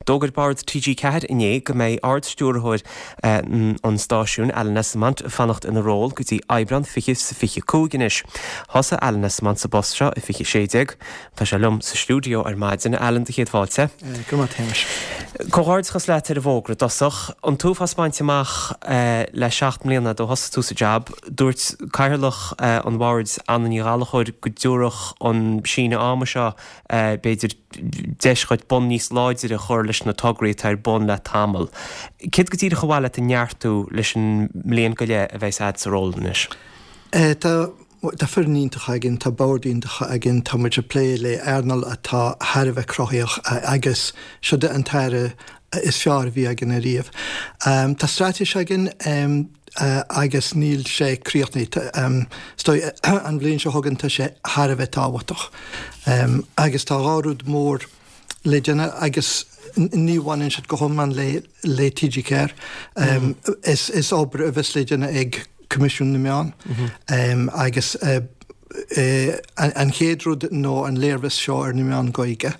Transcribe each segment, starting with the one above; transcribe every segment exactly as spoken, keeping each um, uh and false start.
D'fhógair Bord T G Ceathair inné go mbeidh Ard-Stiúrthóir an stáisiúin, Alan Esslemont, fanacht ina ról go dtí Aibreán fiche fiche cúig anois. Thosaigh Alan Esslemont sa bpost seo i fiche sé déag. Tá sé liom sa stiúideo ar maidin. Alan, do chéad fáilte. Go maith Théis. Comhghairdeachas leat ar an bhfógra i dtosach. An t-uafás bainte amach le seacht mbliana ó thosaigh tú sa jab. Dúirt cathaoirleach an bhoird, Anna Ní Ghallchóir, go dtabharfadh an síneadh ama seo, b'fhéidir, deis dhuit bonn níos láidre a chur leis na tograí atá ar bun le tamall. Céard go díreach ar mhaith leat a neartú leis an mbliain go leith a bheas agat sa ról anois? Tá Tá foireann iontach againn, tá bord iontach againn, tá muid ag plé le earnáil atá thar a bheith cruthaitheach agus seo an t-aire is fearr a bhí againn ariamh. Um, tá straitéis againn um, uh, agus níl sé críochnaithe. Um, an bhliain seo chugainn, tá sé thar a bheith tábhachtach. Um, agus tá dhá rud mór le déanamh agus ní bhaineann siad go hiomlán le le T G Ceathair. Um, mm. is, is obair a bheas le déanamh ag Coimisiún na Meán mm -hmm. um, agus uh, uh, an, an chéad rud nó an léirmheas seo ar na meáin Ghaeilge.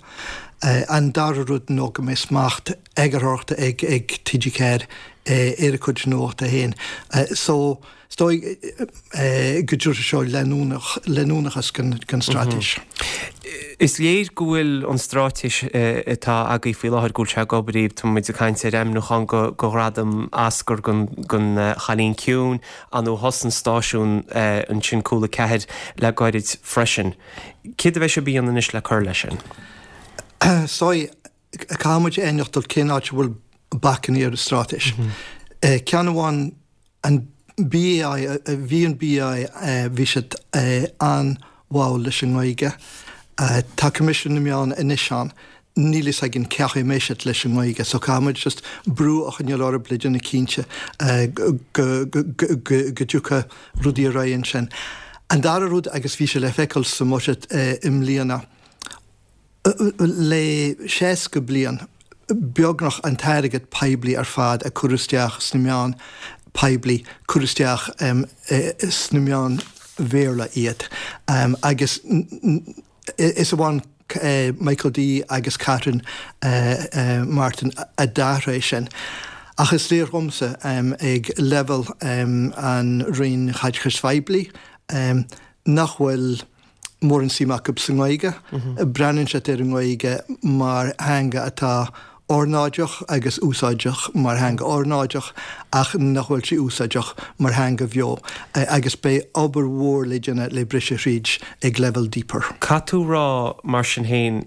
Uh, an dara rud nó go mbeidh smacht eagarthóireachta ag ag T G Ceathair uh, ar a cuid nuachta féin. Uh, so stoi uh, go dúr seo leanúnach leanúnachas gan, gan straitéis. Mm -hmm. Is léir go bhfuil an straitéis atá agaibh faoi láthair, go bhfuil sé ag obair. Tá muid ag caint ar ainmniúchán go go ghradam Oscar gon gon Chailín Ciúin, an ó thosaigh an stáisiún ansin Cúla Ceathair le gairid freisin. Céard a bheidh sibh a dhéanamh anois le cur leis sin? Soi caithfimid aithneachtáil cén áit bhfuil bacainní ar an straitéis. Ceann amháin, an B A I. Bhí an B A I, bhí siad an-mhall leis an nGaeilge. Tá Coimisiún na Meán anois ann, níl a fhios againn cén chaoi a mbeidh siad leis an nGaeilge, so caithfimid just brú a choinneáil orthu le déanamh cinnte go dtiocfaidh rudaí ar aghaidh ansin. An dara rud, agus bhí sé le feiceáil sa mbuiséad i mbliana, le seasca bliain beagnach, an t-airgead poiblí ar fad a cuireadh isteach sna meáin poiblí, cuireadh isteach um, sna meáin Bhéarla iad. Um, agus is amháin uh, Michael D agus Catherine uh, uh, Martin a d'athraigh sin. Ach is léir dhomsa um, ag level um, an Roinn Chaiteachais Phoiblí um, nach bhfuil mórán suim acu sa nGaeilge. Mm -hmm. Breathnaíonn siad ar an nGaeilge mar theanga atá ornáideach agus úsáideach mar theanga ornáideach, ach nach bhfuil sí úsáideach mar theanga bheo, agus beidh obair mhór le déanamh le briseadh thríd ag level deeper. Caithfidh tú rá mar sin féin,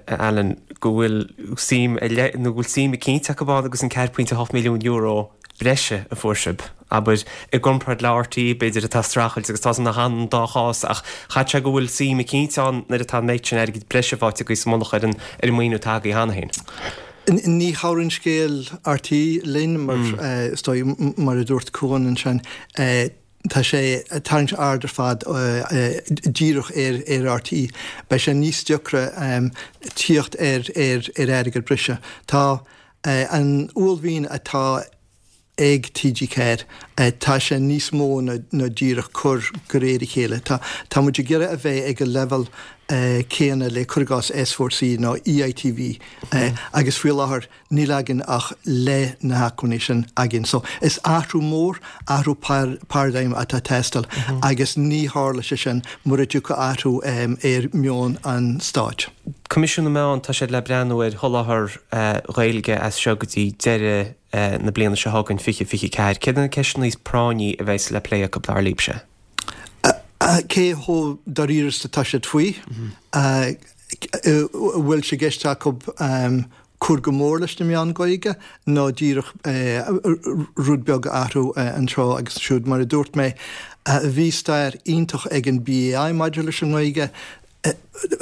Alan, go bhfuil suim nó bhfuil suim eicínt acu agus an ceathair pointe hocht milliún euro breise a fuair sibh, abair, i gcomparáid le R T É, b'fhéidir, atá streachailt, agus tá na han dá chás, ach chaithfeadh sé go bhfuil suim eicínt ann nuair atá an méid sin airgid breise faighte agaibh sa mullach ar an ar an maoiniú atá agaibh cheana féin. Ní chabhraíonn scéal R T É linn mar mm. mar a dúirt Cuan ansin, tá sé tarraingt aird ar fad díreach ar ar R T É. Beidh sé níos deacra um, tíocht ar ar ar airgead breise. Tá uh, an uaillmhian atá ag T G Ceathair, tá sé níos mó na, na díreach cur de réir a chéile. Tá Tá muid ag iarraidh a bheith ag an level uh, céanna le curgás S four C nó E I T V uh, agus faoi láthair níl againn ach le na hacmhainní sin againn. So is athrú mór, athrú par paradigm atá teastáil mm -hmm. agus ní tharla sé sin mura dtiocfaidh athrú um, ar mheon an stáit. Coimisiún na Meán, tá siad le breathnú ar sholáthar uh, Ghaeilge as seo go dtí deireadh uh, na bliana seo chugainn, fiche fiche ceathair. Céard na ceisteanna is práinní a bheas le plé acu, dar libhse? Cé chomh dáiríre atá siad faoi? Bhfuil sé i gceist acu um, cur go mór leis na meáin Ghaeilge nó díreach rud beag athrú anseo agus siúd? Mar a dúirt mé, bhí stair iontach ag an B A I maidir leis an nGaeilge.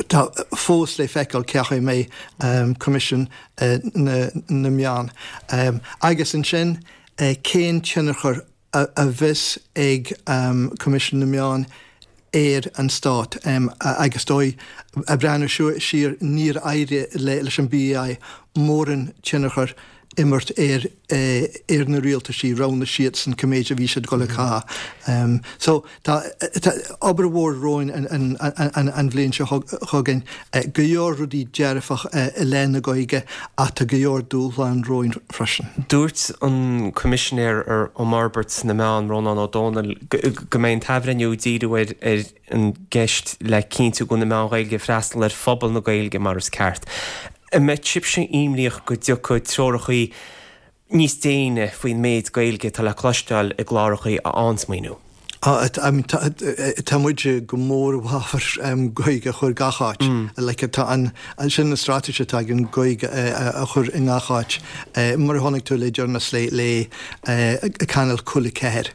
Tá fós le feiceáil cén chaoi a mbeidh um, Coimisiún uh, na, na Meán. Um, agus ansin uh, cén tionchar a, a bheas ag um, Coimisiún na Meán ar an stát um, agus dóigh a breathnú siar, níor éirigh le, leis an B A I mórán tionchar imirt ar ar na rialtaisí roghnaigh siadsan cé méid a bhí siad ag dul a chaitheamh. So tá obair mhór romhainn an bhliain seo chugainn, go leor rudaí dearfach i leith na Gaeilge ach tá go leor dúshlán romhainn freisin. Dúirt an Coimisinéir um Fhorbairt na Meán, Rónán Ó Domhnaill, go mbeidh an t-athbhreithniú ag díriú ar an gceist le cinntiú go bhfuil na meáin Ghaeilge ag freastal ar phobal na Gaeilge mar is ceart. An mbeidh sibhse imníoch go dtiocfaidh treorachaí níos déine faoin méid Gaeilge atá le cloisteáil i gclárachaí a fhaigheanns maoiniú? Tá muid go mór i bhfabhar Gaeilge a chur gach áit. Like tá an sin an straitéis atá againn Gaeilge a chur i ngach áit. Mar a chonaic tú le deireanas le le Cainéal Cúl a Ceathair.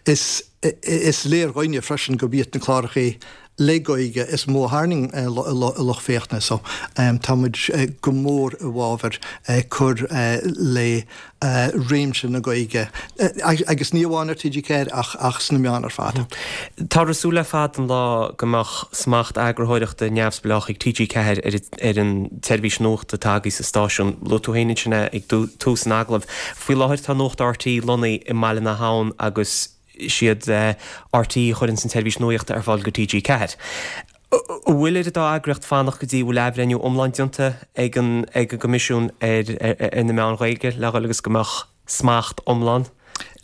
Is is léir dhúinne freisin gurb iad na clárachaí le Gaeilge is mó a tharraing lucht féachana so tá muid go mór i bhfabhar cur le réimse na Gaeilge agus ní amháin ar T G ceathair ach ach sna meáin ar fad. Táthar ag súil le fada an lá go mbeadh smacht eagarthóireachta neamhspleách ag T G ceathair ar ar an tseirbhís nuachta atá agaibh sa stáisiún. Luaigh tú féin ansin é ag tús an agallaimh. Faoi láthair tá Nuacht R T E lonnaithe i mBaile na hAbhann agus is iad R T E a chuireanns an tseirbhís nuachta ar fáil go T G ceathair. An bhfuil ar an dá eagraíocht fanacht go dtí bhfuil athbhreithniú iomlán déanta ag an ag an gCoimisiún ar ar na meáin Ghaeilge le dhul agus go mbeadh smacht iomlán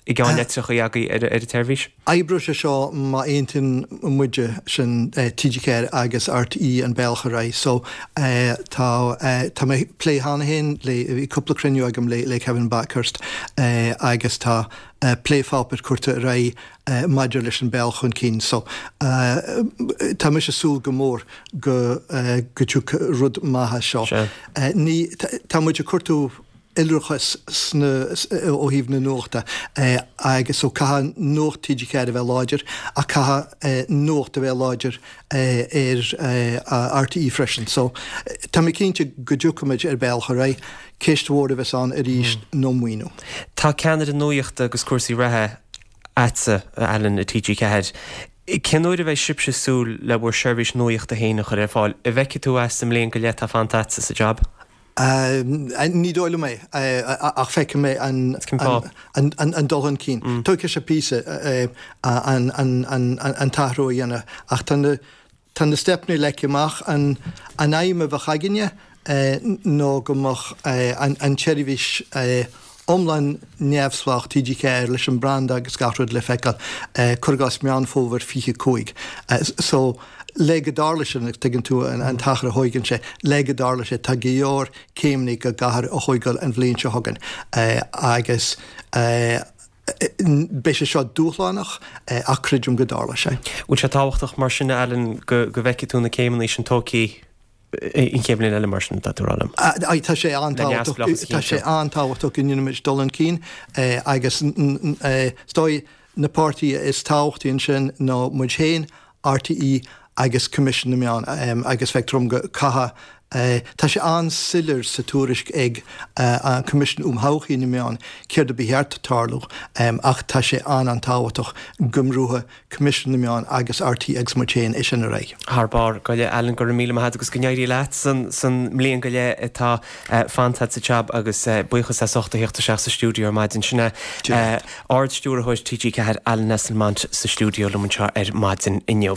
i gceannlitreacha agaibh ar ar an tseirbhís? Oibreoidh sé seo má aontaíonn muide, sin T G ceathair agus R T E an bealach ar aghaidh. So tá tá mé ag plé cheana féin le bhí cúpla cruinniú agam le le Kevin Bakhurst agus tá plépháipéar curtha ar aghaidh maidir leis an bealach chun cinn. So tá mise ag súil go mór go go dtiocfaidh rud maith as seo. Ní tá muid ag cuartú iolrachas sna ó thaobh na nuachta agus so caithfidh Nuacht T G ceathair a bheith láidir ach caithfidh nuacht a bheith láidir ar R T E freisin. So tá mé cinnte go dtiocfaimid ar bealach ar aghaidh. Ceist mhór a bheas ann arís ná maoiniú. Tá ceannaire nuachta agus cúrsaí reatha agatsa, Alan, i T G ceathair. Cén uair a bheidh sibhse ag súil le bhur seirbhís nuachta féin a chur ar fáil? An bhfeicfidh tú é sa mbliain go leith atá fanta agatsa sa jab? Ní dóigh liom é, ach feicfidh mé an dul chun cinn. Tógfaidh sé píosa an t-athrú a dhéanamh ach tá na Tá na steipeanna leagtha amach. An aidhm a bheadh againne ná go mbeadh an tseirbhís iomlán neamhspleách T G ceathair leis an branda agus gach rud le feiceáil, cuir i gcás Meán Fómhair fiche cúig. So, le go dtarla sin, agus tuigeann tú an t-achar a thóigeann sé, le go dtarla sé, tá go leor céimeanna go gcaithfear a thóigeáil an bhliain seo chugainn agus Beidh sé seo dúshlánach ach creidim go dtarlóidh sé. Bhfuil sé tábhachtach mar sin, a Alan, go bhfeicfidh tú na céimeanna sin tógtha an chéad bhliain eile mar sin, tá tú ag rá liom? Tá sé an-tábhachtach, tá sé an-tábhachtach go ndéanfaimid dul chun cinn agus is dóigh na páirtithe is tábhachtaí ansin ná muid féin, R T E agus Coimisiún na Meán agus feictear dom go caithfidh Tá sé an-soiléir sa tuairisc ag an Coimisiún um Thodhchaí na Meán céard a ba cheart tarlú ach tá sé an-an-tábhachtach go mbrúfadh Coimisiún na Meán agus R T E agus muid féin é sin ar aghaidh. Thar barr. Go leith, Alan, go raibh míle maith agat agus go n-éirí leat san mbliain go leith atá fanta agat sa jab agus buíochas as ucht a theacht isteach sa stiúideo ar maidin. Sin é Ard-Stiúrthóir T G ceathair, Alan Esslemont sa stiúideo liom anseo ar maidin inniu.